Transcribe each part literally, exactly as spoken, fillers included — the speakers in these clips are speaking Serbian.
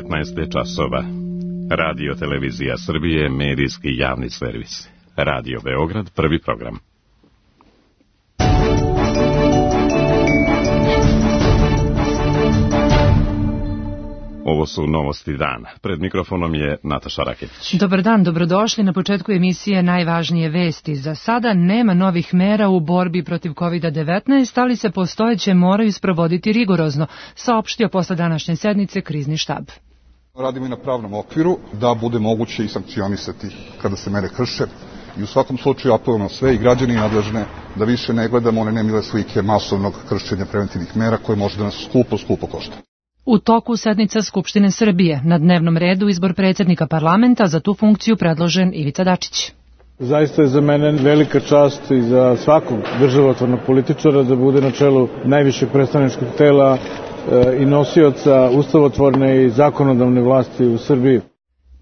devetnaest časova. Radio Televizija Srbije, medijski javni servis. Radio Beograd, prvi program. Ovo su novosti dana. Pred mikrofonom je Nataša Raketić. Dobar dan, dobrodošli. Na početku emisije najvažnije vesti. Za sada nema novih mera u borbi protiv kovid devetnaest, ali se postojeće moraju sprovoditi rigorozno, saopštio posle današnje sednice krizni štab. Radimo i na pravnom okviru da bude moguće i sankcionisati kada se mere krše. I u svakom slučaju apelujemo na sve i građani nadležne da više ne gledamo one nemile slike masovnog kršenja preventivnih mera koje može da nas skupo, skupo košta. U toku sednica Skupštine Srbije, na dnevnom redu izbor predsjednika parlamenta, za tu funkciju predložen Ivica Dačić. Zaista je za mene velika čast i za svakog državotvornog političara da bude na čelu najvišeg predstavničkog tela i nosioca ustavotvorne i zakonodavne vlasti u Srbiji.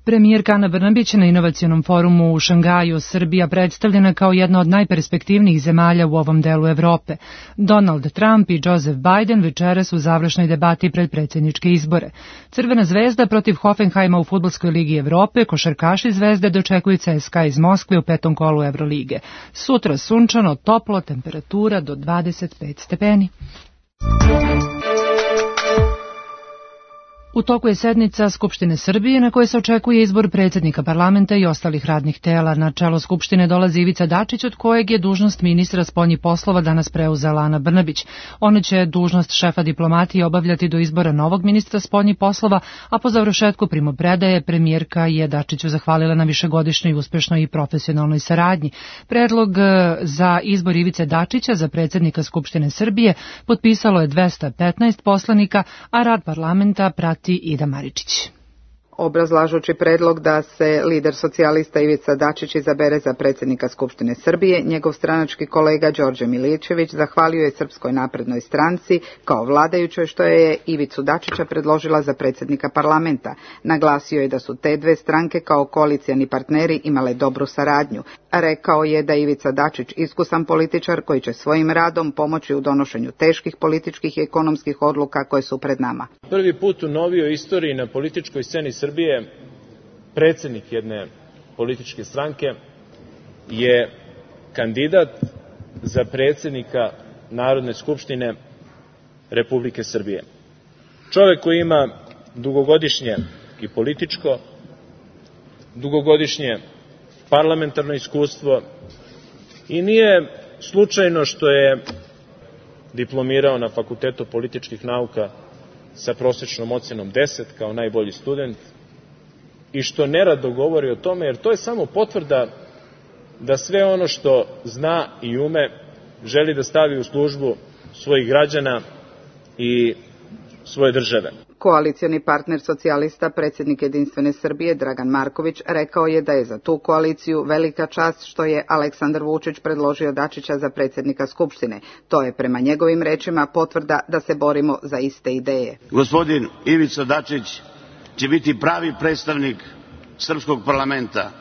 Premijerka Ana Brnabić na inovacionom forumu u Šangaju, Srbija predstavljena kao jedna od najperspektivnijih zemalja u ovom delu Evrope. Donald Trump i Joseph Biden večeras u završnoj debati pred predsjedničke izbore. Crvena zvezda protiv Hoffenheima u Fudbalskoj ligi Evrope, košarkaši Zvezde dočekuju C S K A iz Moskve u petom kolu Evrolige. Sutra sunčano, toplo, temperatura do dvadeset pet stepeni. U toku je sednica Skupštine Srbije na kojoj se očekuje izbor predsjednika parlamenta i ostalih radnih tela. Na čelo Skupštine dolazi Ivica Dačić, od kojeg je dužnost ministra spoljnih poslova danas preuzela Ana Brnabić. Ona će dužnost šefa diplomatije obavljati do izbora novog ministra spoljnih poslova, a po završetku primopredaje premijerka je Dačiću zahvalila na višegodišnjoj uspešnoj i profesionalnoj saradnji. Predlog za izbor Ivice Dačića za predsjednika Skupštine Srbije potpisalo je dvesta petnaest poslanika, a rad parlamenta prati Ida Maričić. Obrazlažući predlog da se lider socijalista Ivica Dačić izabere za predsjednika Skupštine Srbije, njegov stranački kolega Đorđe Miličević zahvalio je Srpskoj naprednoj stranci kao vladajućoj što je Ivicu Dačića predložila za predsjednika parlamenta. Naglasio je da su te dve stranke kao koalicijani partneri imale dobru saradnju. Rekao je da Ivica Dačić iskusan političar koji će svojim radom pomoći u donošenju teških političkih i ekonomskih odluka koje su pred nama. Prvi put u novijoj istoriji na političkoj sceni Srbije predsjednik jedne političke stranke je kandidat za predsjednika Narodne skupštine Republike Srbije. Čovjek koji ima dugogodišnje i političko, dugogodišnje parlamentarno iskustvo i nije slučajno što je diplomirao na Fakultetu političkih nauka sa prosječnom ocjenom deset kao najbolji student i što nerado govori o tome, jer to je samo potvrda da sve ono što zna i ume želi da stavi u službu svojih građana i svoje države. Koalicioni partner socijalista, predsjednik Jedinstvene Srbije Dragan Marković, rekao je da je za tu koaliciju velika čast što je Aleksandar Vučić predložio Dačića za predsjednika Skupštine. To je prema njegovim rečima potvrda da se borimo za iste ideje. Gospodin Ivica Dačić će biti pravi predstavnik srpskog parlamenta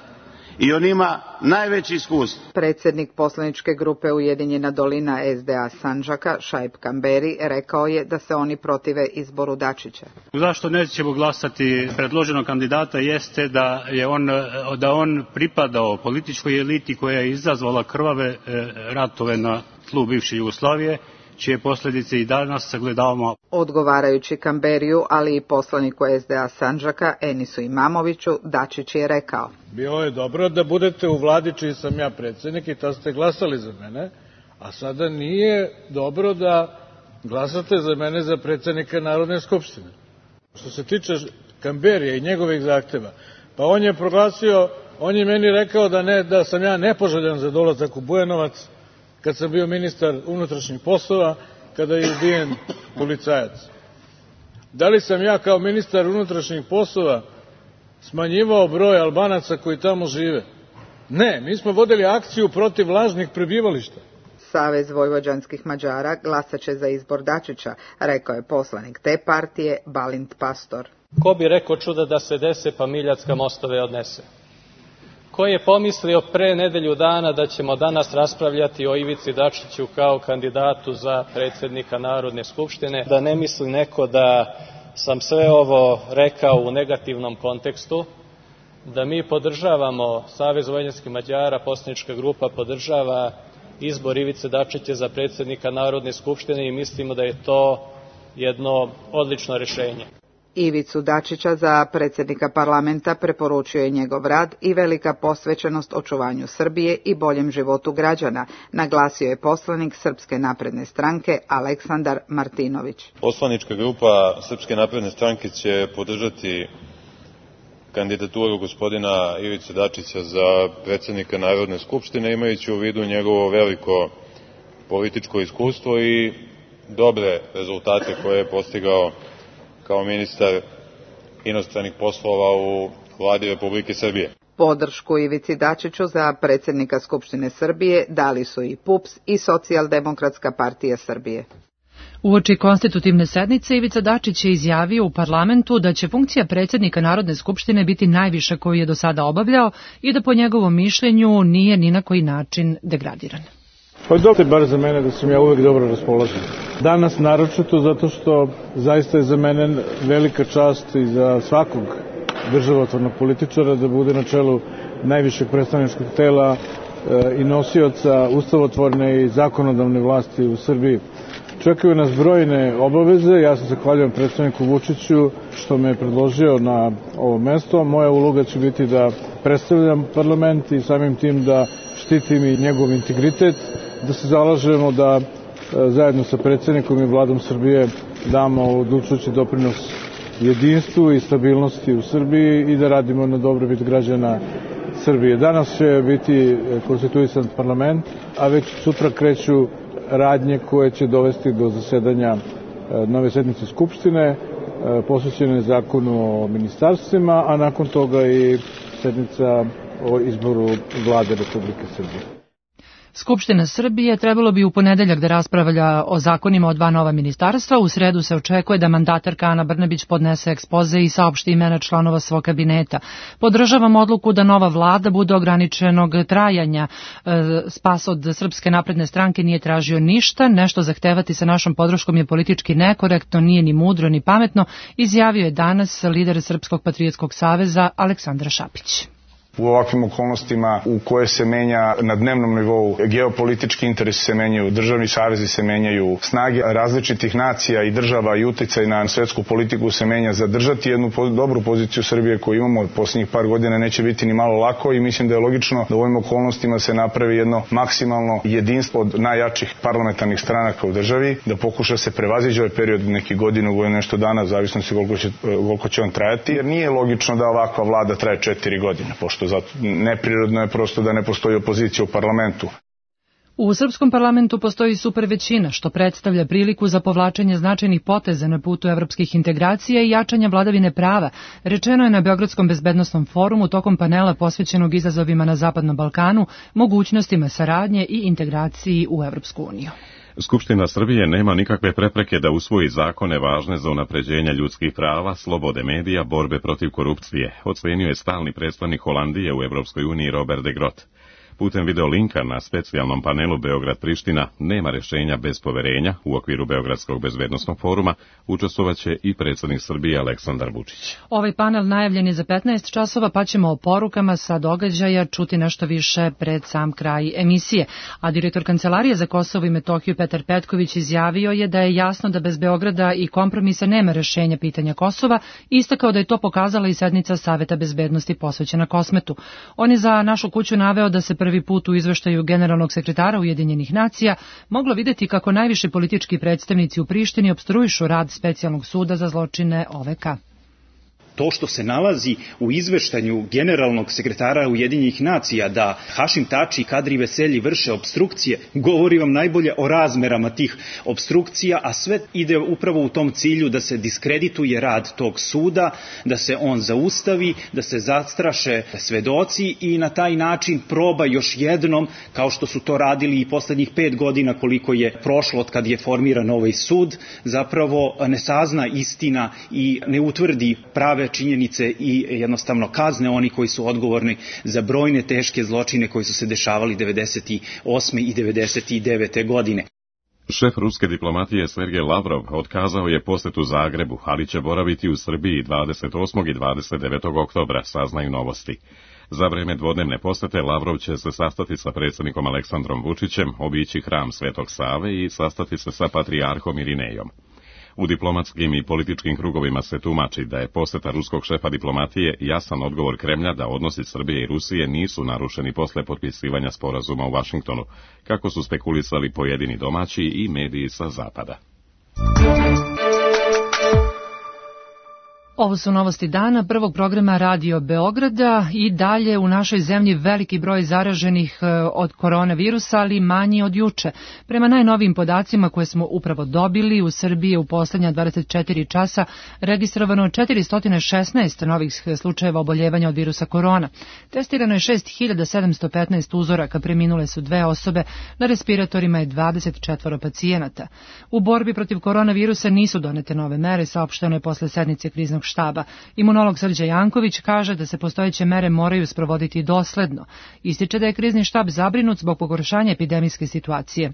i on ima najveći iskustvo. Predsjednik poslaničke grupe Ujedinjena dolina S D A Sandžaka, Šaip Kamberi, rekao je da se oni protive izboru Dačića. Zašto nećemo glasati predloženog kandidata jeste da je on, da on pripadao političkoj eliti koja je izazvala krvave ratove na tlu bivše Jugoslavije, čije posljedice i danas sagledavamo. Odgovarajući Kamberiju, ali i poslaniku S D A Sandžaka, Enisu Imamoviću, Dačić je rekao: Bilo je dobro da budete u vladi čiji sam ja predsjednik i tad ste glasali za mene, a sada nije dobro da glasate za mene za predsjednika Narodne skupštine. Što se tiče Kamberija i njegovih zahteva, pa on je proglasio, on je meni rekao da, ne, da sam ja nepoželjan za dolazak u Bujanovac, kad sam bio ministar unutrašnjih poslova, kada je ubijen policajac. Da li sam ja kao ministar unutrašnjih poslova smanjivao broj Albanaca koji tamo žive? Ne, mi smo vodili akciju protiv lažnih prebivališta. Savez vojvođanskih Mađara glasaće za izbor Dačića, rekao je poslanik te partije Balint Pastor. Ko bi rekao čuda da se dese pa Miljacka mostove odnese? Ko je pomislio pre nedelju dana da ćemo danas raspravljati o Ivici Dačiću kao kandidatu za predsjednika Narodne skupštine, da ne misli neko da sam sve ovo rekao u negativnom kontekstu, da mi podržavamo, Savez vojvođanskih Mađara, poslanička grupa podržava izbor Ivice Dačića za predsjednika Narodne skupštine i mislimo da je to jedno odlično rešenje. Ivicu Dačića za predsjednika parlamenta preporučio je njegov rad i velika posvećenost očuvanju Srbije i boljem životu građana, naglasio je poslanik Srpske napredne stranke Aleksandar Martinović. Poslanička grupa Srpske napredne stranke će podržati kandidaturu gospodina Ivice Dačića za predsjednika Narodne skupštine, imajući u vidu njegovo veliko političko iskustvo i dobre rezultate koje je postigao kao ministar inostranih poslova u Vladi Republike Srbije. Podršku Ivici Dačiću za predsjednika Skupštine Srbije dali su i P U P S i Socijaldemokratska partija Srbije. Uoči konstitutivne sednice Ivica Dačić je izjavio u parlamentu da će funkcija predsjednika Narodne skupštine biti najviša koju je do sada obavljao i da po njegovom mišljenju nije ni na koji način degradiran. Pa dobro je bar za mene da sam ja uvek dobro raspoložen. Danas naročito zato što zaista je za mene velika čast i za svakog državotvornog političara da bude na čelu najvišeg predstavničkog tela i nosioca ustavotvorne i zakonodavne vlasti u Srbiji. Čekaju nas brojne obaveze, ja se zahvaljujem predstavniku Vučiću što me je predložio na ovo mesto. Moja uloga će biti da predstavljam parlament i samim tim da štitim i njegov integritet, da se zalažemo da zajedno sa predsjednikom i vladom Srbije damo odlučujući doprinos jedinstvu i stabilnosti u Srbiji i da radimo na dobrobit građana Srbije. Danas će biti konstituisan parlament, a već sutra kreću radnje koje će dovesti do zasedanja nove sednice Skupštine, posvećene zakonu o ministarstvima, a nakon toga i sednica o izboru Vlade Republike Srbije. Skupština Srbije trebalo bi u ponedeljak da raspravlja o zakonima o dva nova ministarstva. U sredu se očekuje da mandatarka Ana Brnabić podnese ekspoze i saopšti imena članova svog kabineta. Podržavam odluku da nova vlada bude ograničenog trajanja. Spas od Srpske napredne stranke nije tražio ništa, nešto zahtevati sa našom podrškom je politički nekorektno, nije ni mudro ni pametno, izjavio je danas lider Srpskog patriotskog saveza Aleksandar Šapić. U ovakvim okolnostima u koje se menja na dnevnom nivou, geopolitički interesi se menjaju, državni savezi se menjaju, snage različitih nacija i država i uticaj na svetsku politiku se menja. Zadržati jednu dobru poziciju Srbije koju imamo od posljednjih par godina neće biti ni malo lako i mislim da je logično da u ovim okolnostima se napravi jedno maksimalno jedinstvo od najjačih parlamentarnih stranaka u državi, da pokuša se prevazići ovaj period neki godinu, godinu nešto dana, zavisno se koliko će, koliko će on trajati, jer nije logično da ovakva vlada traje četiri godine, pošto zato neprirodno je prosto da ne postoji opozicija u parlamentu. U srpskom parlamentu postoji super većina, što predstavlja priliku za povlačenje značajnih poteza na putu evropskih integracija i jačanja vladavine prava, rečeno je na Beogradskom bezbednosnom forumu tokom panela posvećenog izazovima na Zapadnom Balkanu, mogućnostima saradnje i integraciji u Evropsku uniju. Skupština Srbije nema nikakve prepreke da usvoji zakone važne za unapređenje ljudskih prava, slobode medija, borbe protiv korupcije, ocenio je stalni predstavnik Holandije u Evropskoj uniji Robert de Groot. Putem video linka na specijalnom panelu Beograd-Priština nema rešenja bez poverenja u okviru Beogradskog bezbednosnog foruma učestvovaće i predsjednik Srbije Aleksandar Vučić. Ovaj panel najavljen je za petnaest časova, pa ćemo o porukama sa događaja čuti nešto više pred sam kraj emisije. A direktor Kancelarije za Kosovo i Metohiju Petar Petković izjavio je da je jasno da bez Beograda i kompromisa nema rešenja pitanja Kosova, istakao da je to pokazala i sednica Saveta bezbednosti posvećena Kosmetu. On je za našu kuću naveo da se prvi put u izveštaju generalnog sekretara Ujedinjenih nacija moglo videti kako najviši politički predstavnici u Prištini opstruišu rad specijalnog suda za zločine O V K. To što se nalazi u izveštanju generalnog sekretara Ujedinjenih nacija da Hašim Tači i Kadri Veselji vrše obstrukcije, govori vam najbolje o razmerama tih obstrukcija, a sve ide upravo u tom cilju da se diskredituje rad tog suda, da se on zaustavi, da se zastraše svedoci i na taj način proba još jednom, kao što su to radili i poslednjih pet godina koliko je prošlo od kad je formiran ovaj sud, zapravo ne sazna istina i ne utvrdi prave činjenice i jednostavno kazne oni koji su odgovorni za brojne teške zločine koji su se dešavali devedeset osme i devedeset devete godine. Šef ruske diplomatije Sergej Lavrov otkazao je posjetu Zagrebu, ali će boraviti u Srbiji dvadeset osmog i dvadeset devetog oktobra, saznaju Novosti. Za vreme dvodnevne posete Lavrov će se sastati sa predsjednikom Aleksandrom Vučićem, obići hram Svetog Save i sastati se sa patrijarhom Irinejom. U diplomatskim i političkim krugovima se tumači da je poseta ruskog šefa diplomatije jasan odgovor Kremlja da odnosi Srbije i Rusije nisu narušeni posle potpisivanja sporazuma u Vašingtonu, kako su spekulisali pojedini domaći i mediji sa zapada. Ovo su novosti dana prvog programa Radio Beograda i dalje u našoj zemlji veliki broj zaraženih od koronavirusa, ali manji od juče. Prema najnovijim podacima koje smo upravo dobili, u Srbiji je u poslednja dvadeset četiri časa registrovano četiristo šesnaest novih slučajeva oboljevanja od virusa korona. Testirano je šest hiljada sedamsto petnaest uzoraka, preminule su dve osobe, na respiratorima je dvadeset četvoro pacijenata. U borbi protiv koronavirusa nisu donete nove mere, saopšteno je posle sednice kriznog štaba. Imunolog Srđan Janković kaže da se postojeće mere moraju sprovoditi dosledno. Ističe da je krizni štab zabrinut zbog pogoršanja epidemijske situacije.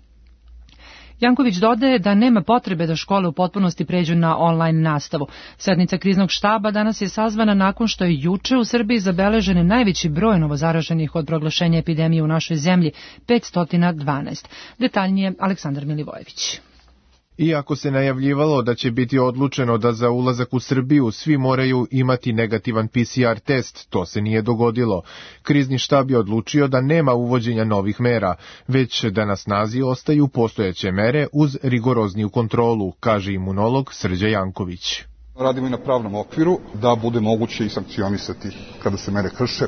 Janković dodaje da nema potrebe da škole u potpunosti pređu na online nastavu. Sednica kriznog štaba danas je sazvana nakon što je juče u Srbiji zabeležen najveći broj novozaraženih od proglašenja epidemije u našoj zemlji, petsto dvanaest. Detaljnije Aleksandar Milivojević. Iako se najavljivalo da će biti odlučeno da za ulazak u Srbiju svi moraju imati negativan P C R test, to se nije dogodilo. Krizni štab je odlučio da nema uvođenja novih mera, već da na snazi ostaju postojeće mere uz rigorozniju kontrolu, kaže imunolog Srđan Janković. Radimo i na pravnom okviru da bude moguće i sankcionisati kada se mere krše.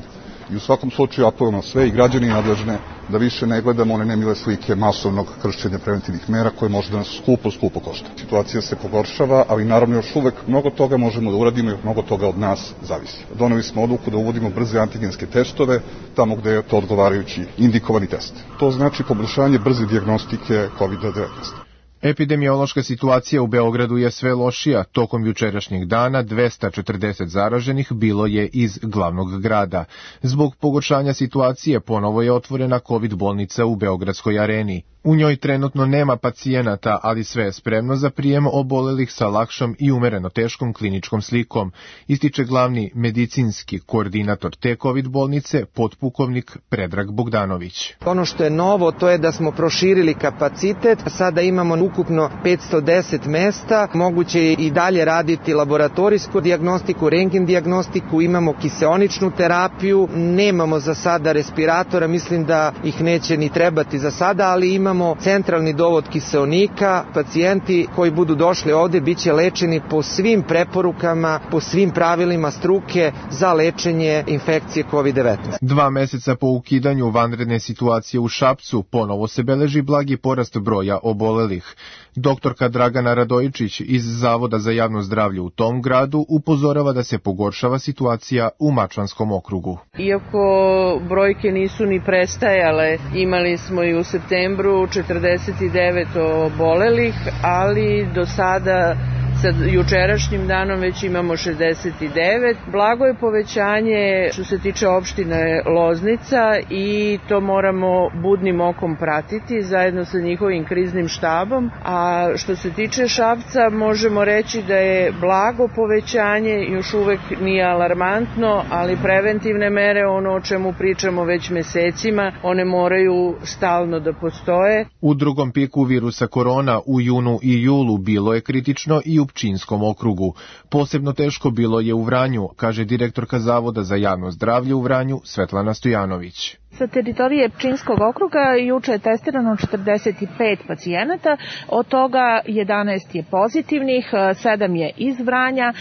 I u svakom slučaju apelujemo sve i građani nadležne da više ne gledamo one nemile slike masovnog kršenja preventivnih mera koje može da nas skupo, skupo košta. Situacija se pogoršava, ali naravno još uvek mnogo toga možemo da uradimo i mnogo toga od nas zavisi. Doneli smo odluku da uvodimo brze antigenske testove tamo gde je to odgovarajući indikovani test. To znači poboljšanje brze dijagnostike kovid devetnaest. Epidemiološka situacija u Beogradu je sve lošija. Tokom jučerašnjeg dana dvesta četrdeset zaraženih bilo je iz glavnog grada. Zbog pogoršanja situacije ponovo je otvorena COVID bolnica u Beogradskoj areni. U njoj trenutno nema pacijenata, ali sve je spremno za prijem obolelih sa lakšom i umereno teškom kliničkom slikom, ističe glavni medicinski koordinator te COVID bolnice, potpukovnik Predrag Bogdanović. Ono što je novo, to je da smo proširili kapacitet, sada imamo ukupno petsto deset mesta, moguće je i dalje raditi laboratorijsku dijagnostiku, rentgen dijagnostiku, imamo kiseoničnu terapiju, nemamo za sada respiratora, mislim da ih neće ni trebati za sada, ali imamo centralni dovod kiseonika, pacijenti koji budu došli ovde biće lečeni po svim preporukama, po svim pravilima struke za lečenje infekcije kovid devetnaest. Dva meseca po ukidanju vanredne situacije u Šapcu ponovo se beleži blagi porast broja obolelih. Doktorka Dragana Radojičić iz Zavoda za javno zdravlje u tom gradu upozorava da se pogoršava situacija u Mačvanskom okrugu. Iako brojke nisu ni prestajale, imali smo i u septembru četrdeset devet obolelih, ali do sada sa jučerašnjim danom već imamo šezdeset devet. Blago je povećanje što se tiče opštine Loznica i to moramo budnim okom pratiti zajedno sa njihovim kriznim štabom. A što se tiče Šapca možemo reći da je blago povećanje, još uvek nije alarmantno, ali preventivne mere, ono o čemu pričamo već mesecima, one moraju stalno da postoje. U drugom piku virusa korona u junu i julu bilo je kritično i u Pčinjskom okrugu. Posebno teško bilo je u Vranju, kaže direktorka Zavoda za javno zdravlje u Vranju Svetlana Stojanović. Sa teritorije Pčinjskog okruga juče je testirano četrdeset pet pacijenata, od toga jedanaest je pozitivnih, sedam je iz Vranja,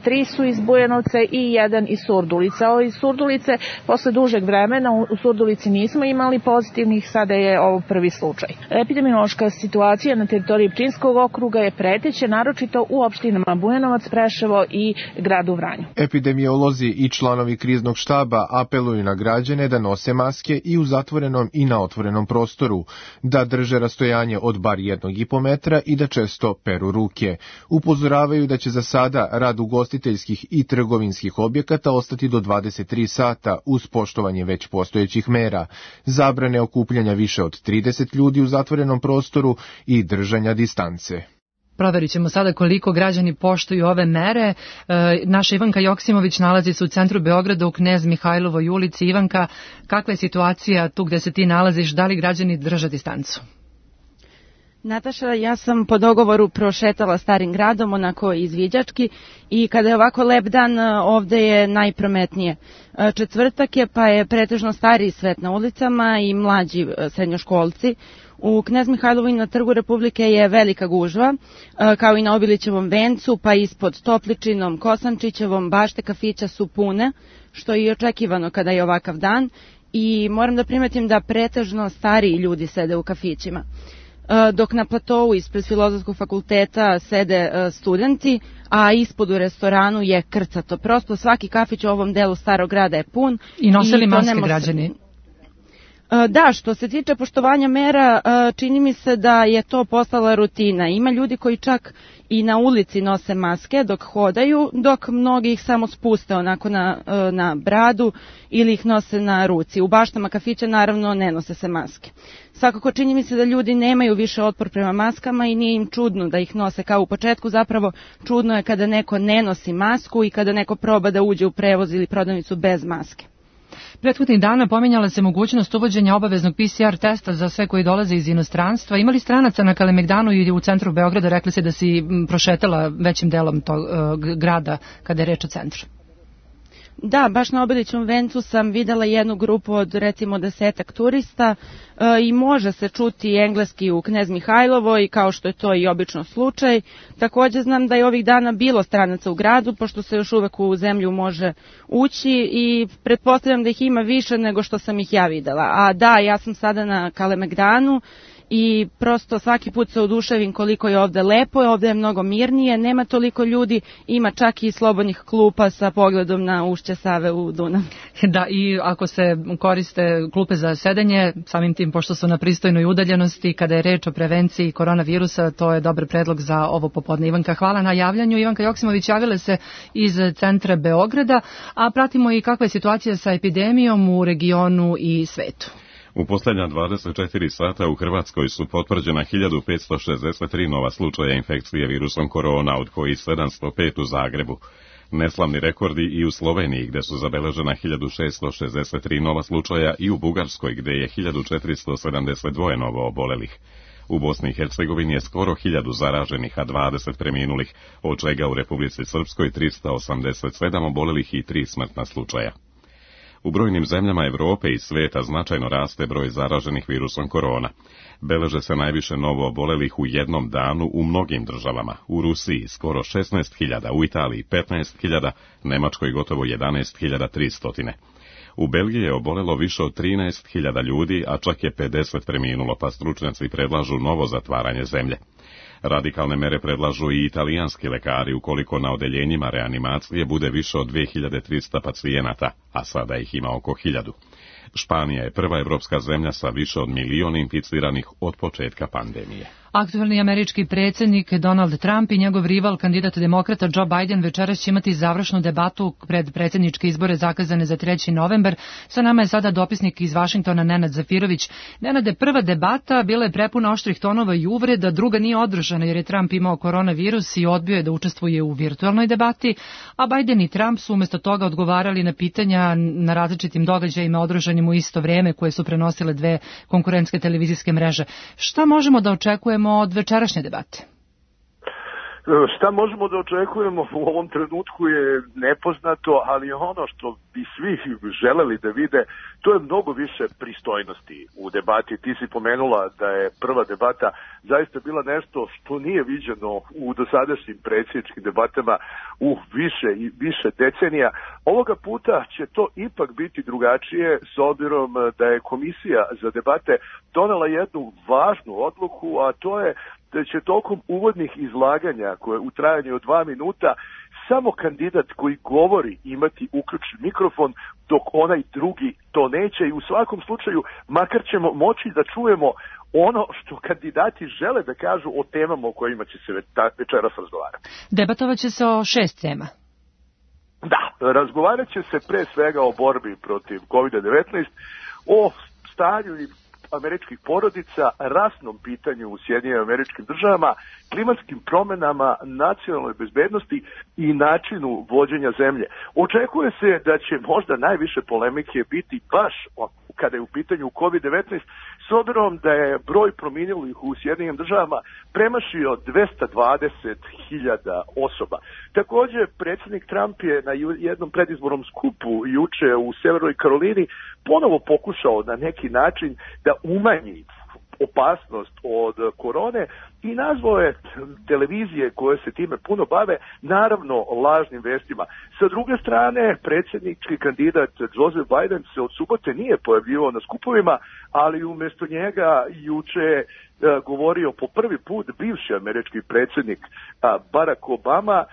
tri su iz Bujanovca i jedan iz Surdulice. Ovo iz Surdulice, posle dužeg vremena, u Surdulici nismo imali pozitivnih, sada je ovo prvi slučaj. Epidemiološka situacija na teritoriji Pčinjskog okruga je preteća, naročito u opštinama Bujanovac, Preševo i gradu Vranju. Epidemiolozi i članovi kriznog štaba apeluju na građane da nose maske maske i u zatvorenom i na otvorenom prostoru, da drže rastojanje od bar jednog i po metra i da često peru ruke. Upozoravaju da će za sada rad ugostiteljskih i trgovinskih objekata ostati do dvadeset tri sata uz poštovanje već postojećih mera, zabrane okupljanja više od trideset ljudi u zatvorenom prostoru i držanja distance. Proverit ćemo sada koliko građani poštuju ove mere. E, naša Ivanka Joksimović nalazi se u centru Beograda u Knez Mihajlovoj ulici. Ivanka, kakva je situacija tu gde se ti nalaziš? Da li građani drže distancu? Nataša, ja sam po dogovoru prošetala starim gradom, onako izviđački, i kada je ovako lep dan, ovde je najprometnije. Četvrtak je, pa je pretežno stariji svet na ulicama i mlađi srednjoškolci. U Knez Mihajlovoj na Trgu Republike je velika gužva, kao i na Obilićevom vencu, pa ispod Topličinom, Kosančićevom, bašte kafića su pune, što je i očekivano kada je ovakav dan, i moram da primetim da pretežno stariji ljudi sede u kafićima. Dok na platovu ispred Filozofskog fakulteta sede studenti, a ispod u restoranu je krcato. Prosto svaki kafić u ovom delu starog grada je pun. I nosili maske građani? Da, što se tiče poštovanja mera, čini mi se da je to postala rutina. Ima ljudi koji čak i na ulici nose maske dok hodaju, dok mnogi ih samo spuste onako na, na bradu ili ih nose na ruci. U baštama kafića naravno ne nose se maske. Svakako čini mi se da ljudi nemaju više otpor prema maskama i nije im čudno da ih nose kao u početku. Zapravo čudno je kada neko ne nosi masku i kada neko proba da uđe u prevoz ili prodavnicu bez maske. Prethodnih dana pominjala se mogućnost uvođenja obaveznog P C R testa za sve koji dolaze iz inostranstva. Imali stranaca na Kalemegdanu i u centru Beograda? Rekli se da si prošetala većim delom tog uh, grada kada je reč o centru. Da, baš na Obilićevom vencu sam videla jednu grupu od recimo desetak turista e, i može se čuti engleski u Knez Mihajlovoj, kao što je to i obično slučaj. Takođe znam da je ovih dana bilo stranaca u gradu, pošto se još uvek u zemlju može ući i pretpostavljam da ih ima više nego što sam ih ja videla. A da, ja sam sada na Kalemegdanu i prosto svaki put se oduševim koliko je ovde lepo, ovde je mnogo mirnije, nema toliko ljudi, ima čak i slobodnih klupa sa pogledom na ušće Save u Dunav. Da, i ako se koriste klupe za sedenje, samim tim pošto su na pristojnoj udaljenosti, kada je reč o prevenciji koronavirusa, to je dobar predlog za ovo popodne. Ivanka, hvala na javljanju. Ivanka Joksimović javila se iz centra Beograda, a pratimo i kakva je situacija sa epidemijom u regionu i svetu. U posljednja dvadeset četiri sata u Hrvatskoj su potvrđena hiljadu petsto šezdeset tri nova slučaja infekcije virusom korona, od kojih sedamsto pet u Zagrebu. Neslavni rekordi i u Sloveniji, gde su zabeležena hiljadu šeststo šezdeset tri nova slučaja, i u Bugarskoj, gde je hiljadu četiristo sedamdeset dva novo obolelih. U Bosni i Hercegovini je skoro hiljadu zaraženih, a dvadeset preminulih, od čega u Republici Srpskoj trista osamdeset sedam obolelih i tri smrtna slučaja. U brojnim zemljama Evrope i sveta značajno raste broj zaraženih virusom korona. Beleže se najviše novo obolelih u jednom danu u mnogim državama. U Rusiji skoro šesnaest hiljada, u Italiji petnaest hiljada, Nemačkoj gotovo jedanaest hiljada tristo. U Belgiji je obolelo više od trinaest hiljada ljudi, a čak je pedeset preminulo, pa stručnjaci predlažu novo zatvaranje zemlje. Radikalne mere predlažu i italijanski lekari ukoliko na odeljenjima reanimacije bude više od dve hiljade trista pacijenata, a sada ih ima oko hiljadu. Španija je prva evropska zemlja sa više od milion inficiranih od početka pandemije. Aktuelni američki predsjednik Donald Trump i njegov rival, kandidat demokrata Joe Biden, večeras će imati završnu debatu pred predsjedničke izbore zakazane za treći novembar. Sa nama je sada dopisnik iz Vašingtona Nenad Zafirović. Nenade, prva debata bila je prepuna oštrih tonova i uvreda, druga nije održana jer je Trump imao koronavirus i odbio je da učestvuje u virtualnoj debati, a Biden i Trump su umjesto toga odgovarali na pitanja na različitim događajima održanim u isto vrijeme koje su prenosile dve konkurentske televizijske mreže. Šta možemo da očekujemo od večerašnje debate? Šta možemo da očekujemo u ovom trenutku je nepoznato, ali ono što bi svi želeli da vide, to je mnogo više pristojnosti u debati. Ti si pomenula da je prva debata zaista bila nešto što nije viđeno u dosadašnjim predsjedničkim debatama u više i više decenija. Ovoga puta će to ipak biti drugačije, s obzirom da je Komisija za debate donela jednu važnu odluku, a to je da će tokom uvodnih izlaganja koje u trajanju od dva minuta samo kandidat koji govori imati uključen mikrofon, dok onaj drugi to neće i u svakom slučaju makar ćemo moći da čujemo ono što kandidati žele da kažu o temama o kojima će se večeras razgovarati. Debatovat će se o šest tema. Da, razgovarat će se pre svega o borbi protiv kovid devetnaest, o stanju i američkih porodica, rasnom pitanju u Sjedinjenim Američkim Državama, klimatskim promenama, nacionalnoj bezbednosti i načinu vođenja zemlje. Očekuje se da će možda najviše polemike biti baš kada je u pitanju kovid devetnaest, s obzirom da je broj preminulih u Sjedinjenim Državama premašio dvesta dvadeset hiljada osoba. Takođe, predsjednik Trump je na jednom predizbornom skupu juče u Severnoj Karolini ponovo pokušao na neki način da umanji opasnost od korone i nazvao je televizije koje se time puno bave naravno lažnim vestima. Sa druge strane, predsjednički kandidat Joseph Biden se od subote nije pojavljivao na skupovima, ali umjesto njega juče govorio po prvi put bivši američki predsjednik Barack Obama,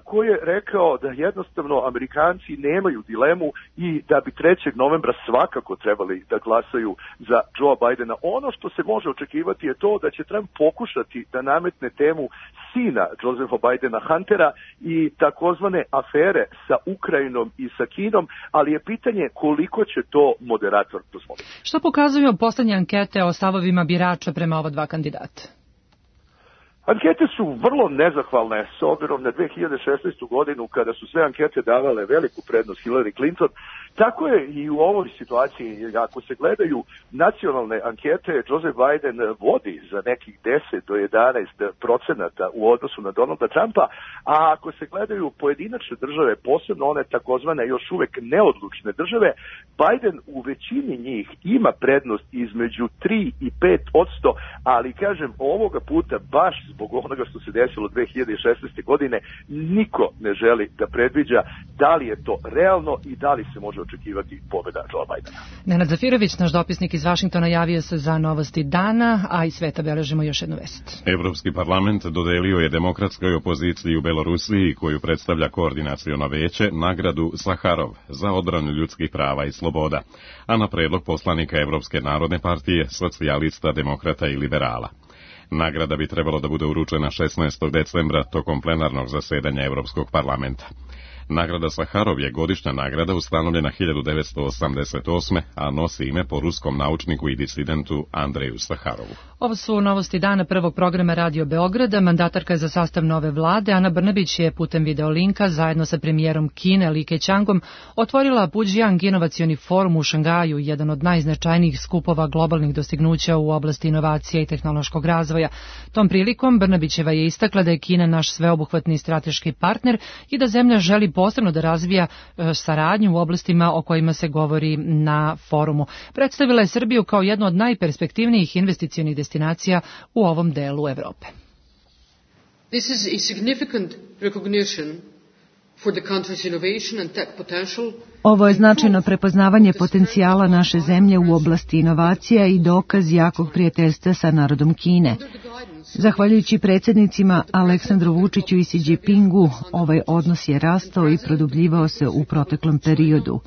koji je rekao da jednostavno Amerikanci nemaju dilemu i da bi trećeg novembra svakako trebali da glasaju za Joe Bidena. Ono što se može očekivati je to da će Trump pokušati da nametne temu sina Josepha Bidena, Huntera, i takozvane afere sa Ukrajinom i sa Kinom, ali je pitanje koliko će to moderator dozvoliti. Što pokazuju poslednje ankete o stavovima birača prema ova dva kandidata? Ankete su vrlo nezahvalne s obzirom na dve hiljade šesnaestu godinu kada su sve ankete davale veliku prednost Hillary Clinton. Tako je i u ovoj situaciji, ako se gledaju nacionalne ankete, Joseph Biden vodi za nekih deset do jedanaest procenata u odnosu na Donalda Trumpa, a ako se gledaju pojedinačne države, posebno one takozvane još uvek neodlučne države, Biden u većini njih ima prednost između tri i pet posto, ali kažem ovoga puta baš zbog onoga što se desilo dve hiljade šesnaeste godine niko ne želi da predviđa da li je to realno i da li se može očekivati pobjeda Joe Bidena. Nenad Zafirović, naš dopisnik iz Vašingtona, javio se za novosti dana, a iz sveta beležimo još jednu vest. Evropski parlament dodelio je demokratskoj opoziciji u Belorusiji, koju predstavlja koordinaciono veće, nagradu Saharov za odbranu ljudskih prava i sloboda, a na predlog poslanika Evropske narodne partije, socijalista, demokrata i liberala. Nagrada bi trebalo da bude uručena šesnaestog decembra tokom plenarnog zasedanja Evropskog parlamenta. Nagrada Saharov je godišnja nagrada ustanovljena hiljadu devetsto osamdeset osme. a nosi ime po ruskom naučniku i disidentu Andreju Saharovu. Ovo su novosti dana prvog programa Radio Beograda. Mandatarka za sastav nove vlade Ana Brnabić je putem videolinka zajedno sa premijerom Kine Li Keqiangom otvorila Puđiang inovacioni forum u Šangaju, jedan od najznačajnijih skupova globalnih dostignuća u oblasti inovacija i tehnološkog razvoja. Tom prilikom Brnabićeva je istakla da je Kina naš sveobuhvatni strateški partner i da zemlja želi posebno da razvija saradnju u oblastima o kojima se govori na forumu. Predstavila je Srbiju kao jednu od najperspektivnijih investicionih destinacija u ovom delu Evrope. This is a significant recognition for the country's innovation and tech potential. Ovo je značajno prepoznavanje potencijala naše zemlje u oblasti inovacija i dokaz jakog prijateljstva sa narodom Kine. Zahvaljujući predsjednicima Aleksandru Vučiću i Xi Jinpingu, ovaj odnos je rastao i produbljivao se u proteklom periodu.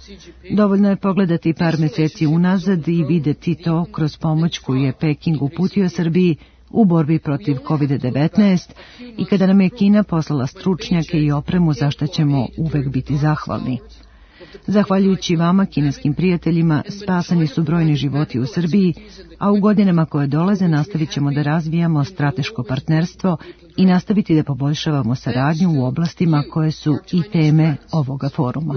Dovoljno je pogledati par meseci unazad i videti to kroz pomoć koju je Peking uputio Srbiji u borbi protiv kovid devetnaest i kada nam je Kina poslala stručnjake i opremu za što ćemo uvek biti zahvalni. Zahvaljujući vama, kineskim prijateljima, spasani su brojni životi u Srbiji, a u godinama koje dolaze nastavit ćemo da razvijamo strateško partnerstvo i nastaviti da poboljšavamo saradnju u oblastima koje su i teme ovoga foruma.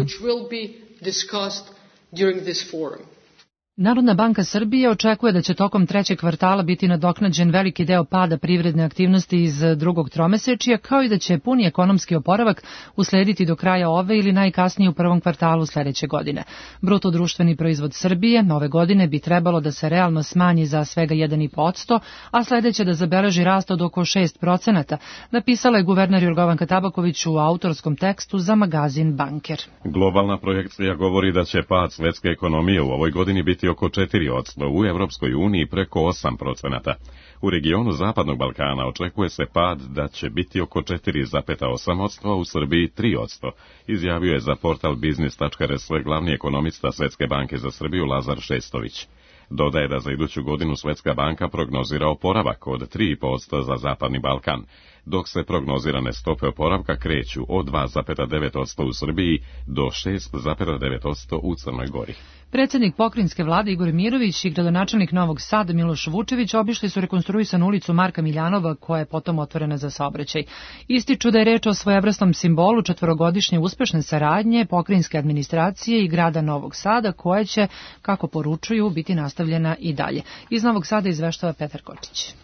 Narodna banka Srbije očekuje da će tokom trećeg kvartala biti nadoknađen veliki deo pada privredne aktivnosti iz drugog tromesečja, kao i da će puni ekonomski oporavak uslediti do kraja ove ili najkasnije u prvom kvartalu sledeće godine. Bruto društveni proizvod Srbije ove godine bi trebalo da se realno smanji za svega jedan i po posto, a sledeće da zabeleži rast od oko šest procenata, napisala je guverner Jorgovanka Tabaković u autorskom tekstu za magazin Banker. Globalna projekcija govori da će pad svetske ekonomije u ovoj godini biti biti oko četiri posto, u Evropskoj uniji preko osam procenata. U regionu Zapadnog Balkana očekuje se pad da će biti oko četiri zarez osam posto, a u Srbiji tri posto, izjavio je za portal biznis tačka er es glavni ekonomista Svetske banke za Srbiju Lazar Šestović. Dodaje da za iduću godinu Svetska banka prognozira oporavak od tri posto za Zapadni Balkan, dok se prognozirane stope oporavka kreću od dva zarez devet posto u Srbiji do šest zarez devet posto u Crnoj Gori. Predsjednik pokrajinske vlade Igor Mirović i gradonačelnik Novog Sada Miloš Vučević obišli su rekonstruisanu ulicu Marka Miljanova, koja je potom otvorena za saobraćaj. Ističu da je reč o svojevrsnom simbolu četvorogodišnje uspešne saradnje pokrajinske administracije i grada Novog Sada, koja će, kako poručuju, biti nastavljena i dalje. Iz Novog Sada izveštava Petar Kočić.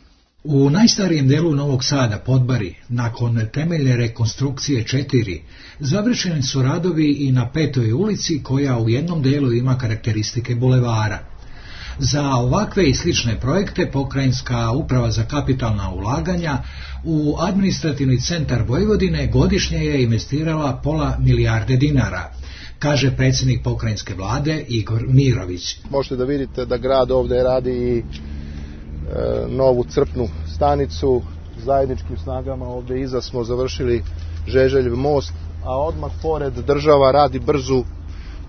U najstarijem delu Novog Sada, Podbari, nakon temeljne rekonstrukcije četiri, završeni su radovi i na Petoj ulici, koja u jednom delu ima karakteristike bulevara. Za ovakve i slične projekte Pokrajinska uprava za kapitalna ulaganja u administrativni centar Vojvodine godišnje je investirala pola milijarde dinara, kaže predsjednik pokrajinske vlade Igor Mirović. Možete da vidite da grad ovde radi i novu crpnu stanicu, zajedničkim snagama ovde iza smo završili Žeželjev most, a odmah pored država radi brzu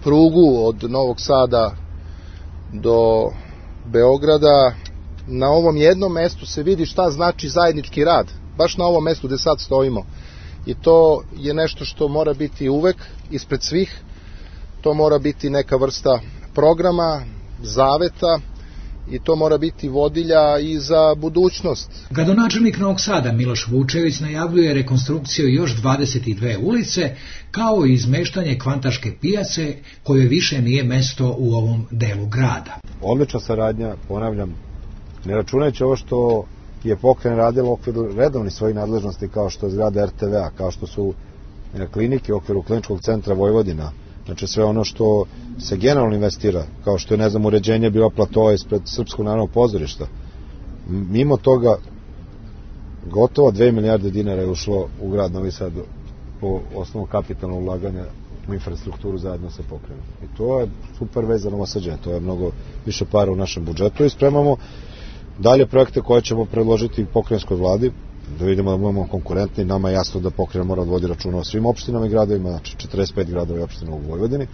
prugu od Novog Sada do Beograda. Na ovom jednom mestu se vidi šta znači zajednički rad, baš na ovom mestu gde sad stojimo. I to je nešto što mora biti uvek ispred svih, to mora biti neka vrsta programa, zaveta, i to mora biti vodilja i za budućnost. Gradonačelnik Novog Sada Miloš Vučević najavljuje rekonstrukciju još dvadeset dve ulice, kao i izmeštanje Kvantaške pijace, koje više nije mesto u ovom delu grada. Odlična saradnja, ponavljam, ne računajući ovo što je pokrajina radila u okviru redovnih svojih nadležnosti, kao što je zgrada er te ve a, kao što su klinike u okviru Kliničkog centra Vojvodina, znači sve ono što se generalno investira, kao što je, ne znam, uređenje bio platoa ispred Srpskog narodnog pozorišta. Mimo toga, gotovo dve milijarde dinara je ušlo u grad Novi Sad po osnovu kapitalnog ulaganja u infrastrukturu zajedno sa pokrajinom. I to je super vez za Novosađane, to je mnogo više para u našem budžetu i spremamo dalje projekte koje ćemo predložiti pokrajinskoj vladi, da vidimo da budemo konkurentni. Nama je jasno da pokrajina mora da vodi računa o svim opštinama i gradovima, znači četrdeset pet gradova i opština u Vojvodini,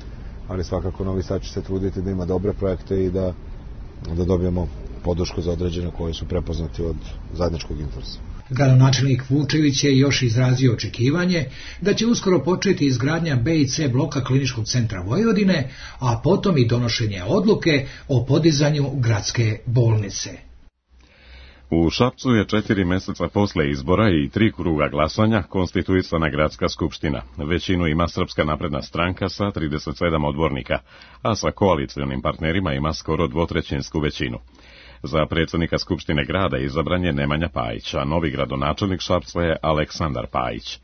ali svakako Novi Sad će se truditi da ima dobre projekte i da, da dobijemo podršku za određene koji su prepoznati od zajedničkog interesa. Gradonačelnik Vučević je još izrazio očekivanje da će uskoro početi izgradnja be i ce bloka Kliničkog centra Vojvodine, a potom i donošenje odluke o podizanju gradske bolnice. U Šapcu je četiri meseca posle izbora i tri kruga glasanja konstituisana gradska skupština. Većinu ima Srpska napredna stranka sa trideset sedam odbornika, a sa koalicijonim partnerima ima skoro dvotrećinsku većinu. Za predsjednika Skupštine grada izabran je Nemanja Pajić, a novi gradonačelnik Šapca je Aleksandar Pajić.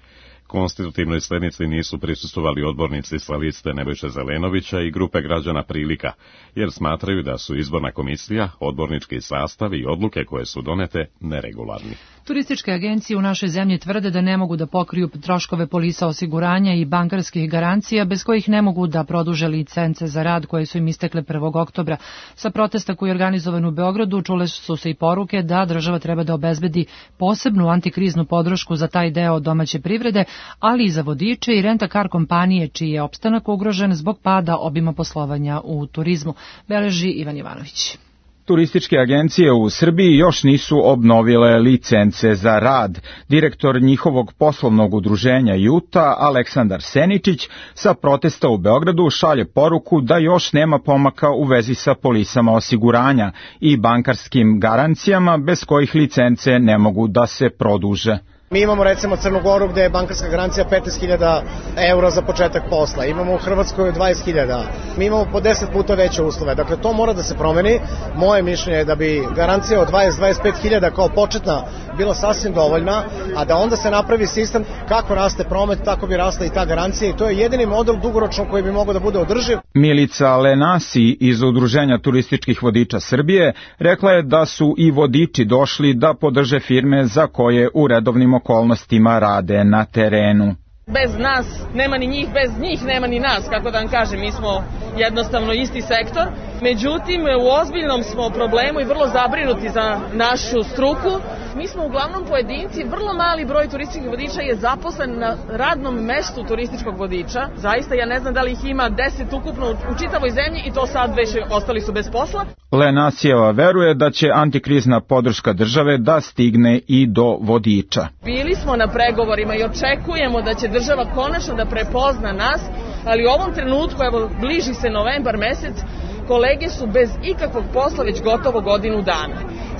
Konstitutivnoj sednici nisu prisustvovali odbornici sa liste Nebojše Zelenovića i grupe građana Prilika, jer smatraju da su izborna komisija, odbornički sastav i odluke koje su donete neregularni. Turističke agencije u našoj zemlji tvrde da ne mogu da pokriju troškove polisa osiguranja i bankarskih garancija, bez kojih ne mogu da produže licence za rad koje su im istekle prvog oktobra. Sa protesta koji je organizovan u Beogradu čule su se i poruke da država treba da obezbedi posebnu antikriznu podršku za taj deo domaće privrede, ali i za vodiče i renta-kar kompanije, čiji je opstanak ugrožen zbog pada obima poslovanja u turizmu, beleži Ivan Ivanović. Turističke agencije u Srbiji još nisu obnovile licence za rad. Direktor njihovog poslovnog udruženja Juta, Aleksandar Seničić, sa protesta u Beogradu šalje poruku da još nema pomaka u vezi sa polisama osiguranja i bankarskim garancijama, bez kojih licence ne mogu da se produže. Mi imamo recimo Crnu Goru gde je bankarska garancija petnaest hiljada eura za početak posla, imamo u Hrvatskoj dvadeset hiljada, mi imamo po deset puta veće uslove, dakle to mora da se promeni. Moje mišljenje je da bi garancija od dvadeset do dvadeset pet hiljada kao početna bila sasvim dovoljna, a da onda se napravi sistem kako raste promet, tako bi rasla i ta garancija i to je jedini model dugoročno koji bi mogao da bude održiv. Milica Lenasi iz Udruženja turističkih vodiča Srbije rekla je da su i vodiči došli da podrže firme za koje u redovnim okolnostima rade na terenu. Bez nas nema ni njih, bez njih nema ni nas, kako da vam kažem, mi smo jednostavno isti sektor Međutim, u ozbiljnom smo problemu i vrlo zabrinuti za našu struku. Mi smo uglavnom pojedinci, vrlo mali broj turističkih vodiča je zaposlen na radnom mestu turističkog vodiča. Zaista ja ne znam da li ih ima deset ukupno u čitavoj zemlji i to sad već ostali su bez posla. Lenasijeva veruje da će antikrizna podrška države da stigne i do vodiča. Bili smo na pregovorima i očekujemo da će država konačno da prepozna nas, ali u ovom trenutku, evo, bliži se novembar mesec, kolege su bez ikakvog posla već gotovo godinu dana.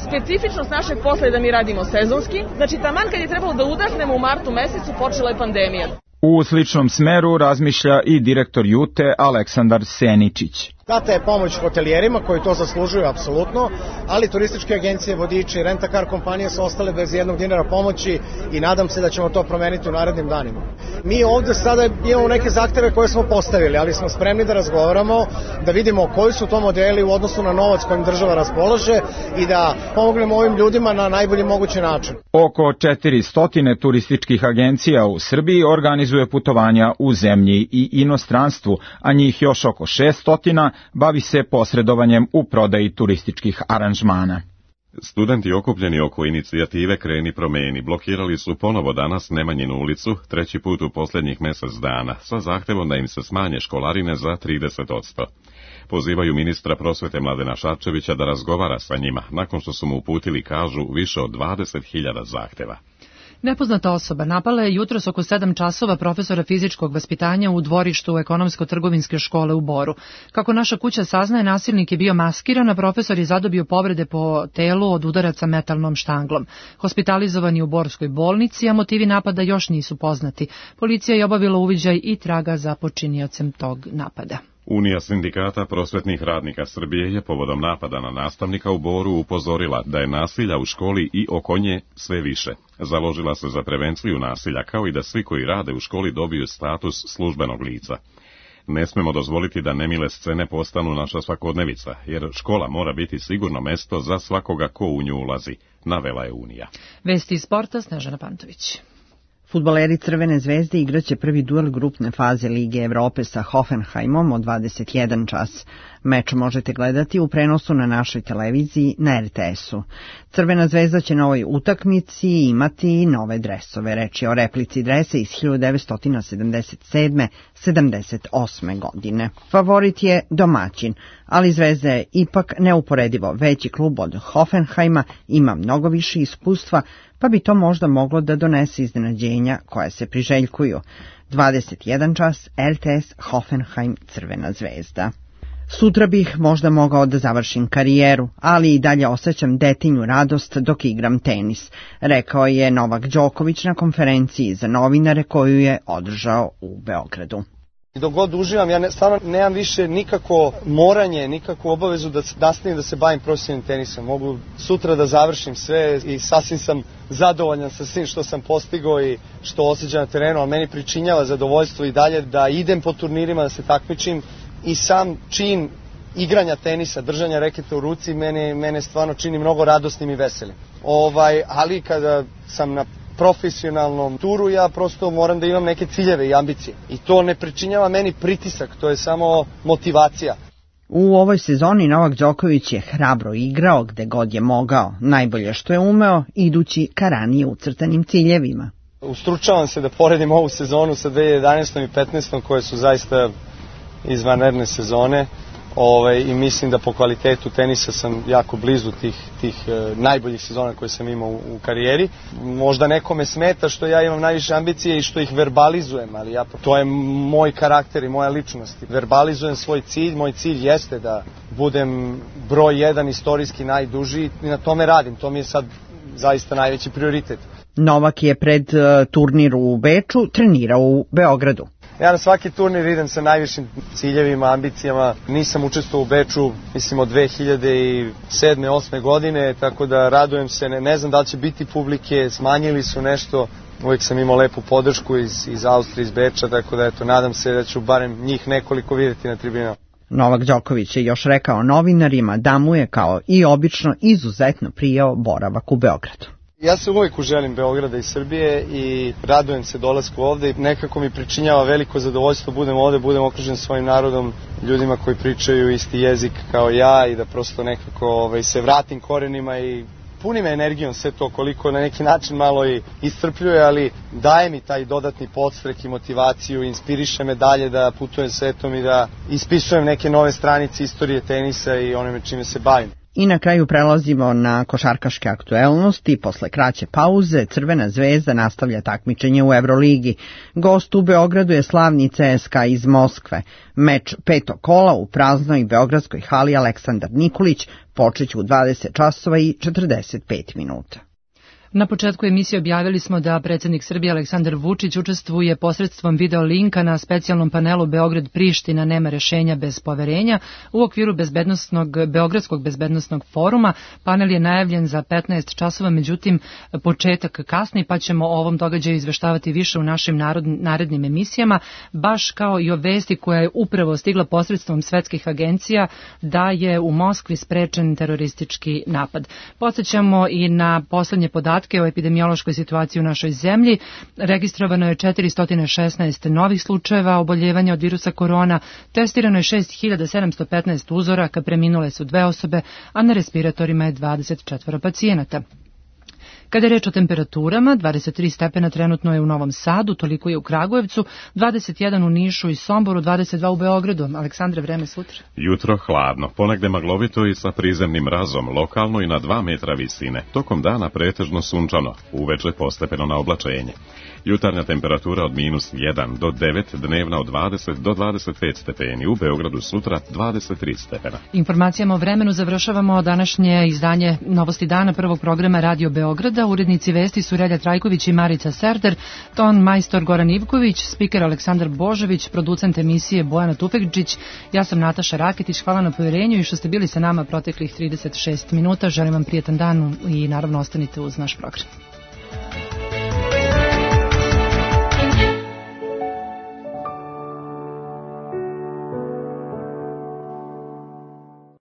Specifičnost našeg posla je da mi radimo sezonski, znači taman kad je trebalo da udahnemo u martu mesecu počela je pandemija. U sličnom smeru razmišlja i direktor Jute Aleksandar Seničić. Data je pomoć hotelijerima koji to zaslužuju apsolutno, ali turističke agencije, vodiči i rent-a-car kompanije su ostale bez jednog dinara pomoći i nadam se da ćemo to promeniti u narednim danima. Mi ovde sada imamo neke zahteve koje smo postavili, ali smo spremni da razgovaramo, da vidimo koji su to modeli u odnosu na novac kojim država raspolaže i da pomognemo ovim ljudima na najbolji mogući način. Oko četiristo turističkih agencija u Srbiji organizuje putovanja u zemlji i inostranstvu, a njih još oko šesto bavi se posredovanjem u prodaji turističkih aranžmana. Studenti okupljeni oko inicijative Kreni promeni blokirali su ponovo danas Nemanjinu ulicu, treći put u posljednjih mjesec dana, sa zahtevom da im se smanje školarine za trideset posto. Pozivaju ministra prosvete Mladena Šarčevića da razgovara sa njima, nakon što su mu uputili, kažu, više od dvadeset hiljada zahteva. Nepoznata osoba napala je jutros oko sedam časova profesora fizičkog vaspitanja u dvorištu ekonomsko-trgovinske škole u Boru. Kako naša kuća saznaje, nasilnik je bio maskiran, a profesor je zadobio povrede po telu od udaraca metalnom štanglom. Hospitalizovan je u Borskoj bolnici, a motivi napada još nisu poznati. Policija je obavila uviđaj i traga za počiniocem tog napada. Unija sindikata prosvetnih radnika Srbije je povodom napada na nastavnika u Boru upozorila da je nasilja u školi i oko nje sve više. Založila se za prevenciju nasilja, kao i da svi koji rade u školi dobiju status službenog lica. Ne smemo dozvoliti da nemile scene postanu naša svakodnevica, jer škola mora biti sigurno mesto za svakoga ko u nju ulazi, navela je Unija. Vesti iz sporta, Snežana Pantović. Fudbaleri Crvene zvezde igraće prvi duel grupne faze Lige Evrope sa Hoffenheimom od dvadeset jedan čas. Meč možete gledati u prenosu na našoj televiziji na er te esu. Crvena zvezda će na ovoj utakmici imati nove dresove. Reč je o replici dresa iz hiljadu devetsto sedamdeset sedme sedamdeset osme. godine. Favorit je domaćin, ali Zvezda je ipak neuporedivo veći klub od Hoffenheima, ima mnogo više iskustva, pa bi to možda moglo da donese iznenađenja koja se priželjkuju. dvadeset jedan čas, er te es, Hoffenheim, Crvena zvezda. Sutra bih možda mogao da završim karijeru, ali i dalje osjećam detinju radost dok igram tenis, rekao je Novak Đoković na konferenciji za novinare koju je održao u Beogradu. Dok god uživam, ja ne, stvarno nemam više nikako moranje, nikakvu obavezu da nastavim da se bavim profesionalnim tenisom. Mogu sutra da završim sve i sasvim sam zadovoljan sa svim što sam postigao i što osjećam na terenu, ali meni pričinjava zadovoljstvo i dalje da idem po turnirima, da se takmičim i sam čin igranja tenisa, držanja reketa u ruci, mene, mene stvarno čini mnogo radosnim i veselim. Ovaj, ali kada sam na profesionalnom turu, ja prosto moram da imam neke ciljeve i ambicije. I to ne pričinjava meni pritisak, to je samo motivacija. U ovoj sezoni Novak Đoković je hrabro igrao gde god je mogao, najbolje što je umeo, idući ka ranije ucrtanim ciljevima. Ustručavam se da poredim ovu sezonu sa dve hiljade jedanaestom i petnaestom koje su zaista izvanredne sezone. Ove, i mislim da po kvalitetu tenisa sam jako blizu tih, tih e, najboljih sezona koje sam imao u, u karijeri. Možda nekome smeta što ja imam najviše ambicije i što ih verbalizujem, ali ja, to je moj karakter i moja ličnost. Verbalizujem svoj cilj, moj cilj jeste da budem broj jedan, istorijski najduži i na tome radim, to mi je sad zaista najveći prioritet. Novak je pred uh, turnir u Beču trenirao u Beogradu. Ja na svaki turnir idem sa najvišim ciljevima, ambicijama. Nisam učestvovao u Beču, mislim, od dve hiljade sedme osme godine, tako da radujem se. Ne, ne znam da li će biti publike, smanjili su nešto. Uvijek sam imao lepu podršku iz, iz Austrije, iz Beča, tako da eto, nadam se da ću barem njih nekoliko vidjeti na tribinama. Novak Đoković je još rekao novinarima da mu je, kao i obično, izuzetno prijao boravak u Beogradu. Ja se uvijek uželim Beograda i Srbije i radujem se dolasku ovde i nekako mi pričinjava veliko zadovoljstvo budem ovde, budem okružen svojim narodom, ljudima koji pričaju isti jezik kao ja i da prosto nekako ovaj, se vratim korenima i puni me energijom sve to, koliko na neki način malo i iscrpljuje, ali daje mi taj dodatni podstrek i motivaciju, inspiriše me dalje da putujem svetom i da ispisujem neke nove stranice istorije tenisa i onome čime se bavim. I na kraju prelazimo na košarkaške aktuelnosti. Posle kraće pauze Crvena zvezda nastavlja takmičenje u Evroligi. Gost u Beogradu je slavni C S K A iz Moskve. Meč petog kola u praznoj beogradskoj hali Aleksandar Nikolić počeće u dvadeset časova i četrdeset pet minuta. Na početku emisije objavili smo da predsjednik Srbije Aleksandar Vučić učestvuje posredstvom video linka na specijalnom panelu Beograd Priština nema rešenja bez poverenja u okviru bezbednosnog, Beogradskog bezbednosnog foruma. Panel je najavljen za petnaest časova, međutim početak kasni, pa ćemo o ovom događaju izveštavati više u našim narod, narednim emisijama, baš kao i o vesti koja je upravo stigla posredstvom svetskih agencija da je u Moskvi sprečen teroristički napad. Podsjećamo i na poslednje podatke o epidemiološkoj situaciji u našoj zemlji. Registrovano je četiristo šesnaest novih slučajeva oboljevanja od virusa korona, testirano je šest hiljada sedamsto petnaest uzoraka, preminule su dve osobe, a na respiratorima je dvadeset četvoro pacijenata. Kada je reč o temperaturama, dvadeset tri stepena trenutno je u Novom Sadu, toliko je u Kragujevcu, dvadeset jedan u Nišu i Somboru, dvadeset dva u Beogradu. Aleksandre, vreme sutra? Jutro hladno, ponegde maglovito i sa prizemnim mrazom, lokalno i na dva metra visine. Tokom dana pretežno sunčano, uveče postepeno na oblačenje. Jutarnja temperatura od minus jedan do devet, dnevna od dvadeset do dvadeset pet stepeni, u Beogradu sutra dvadeset tri stepena. Informacijama o vremenu završavamo današnje izdanje Novosti dana prvog programa Radio Beograda. Urednici vesti su Relja Trajković i Marica Serder, ton majstor Goran Ivković, spiker Aleksandar Božović, producent emisije Bojana Tufekđić. Ja sam Nataša Raketić, hvala na povjerenju i što ste bili sa nama proteklih trideset šest minuta. Želim vam prijetan dan i naravno ostanite uz naš program.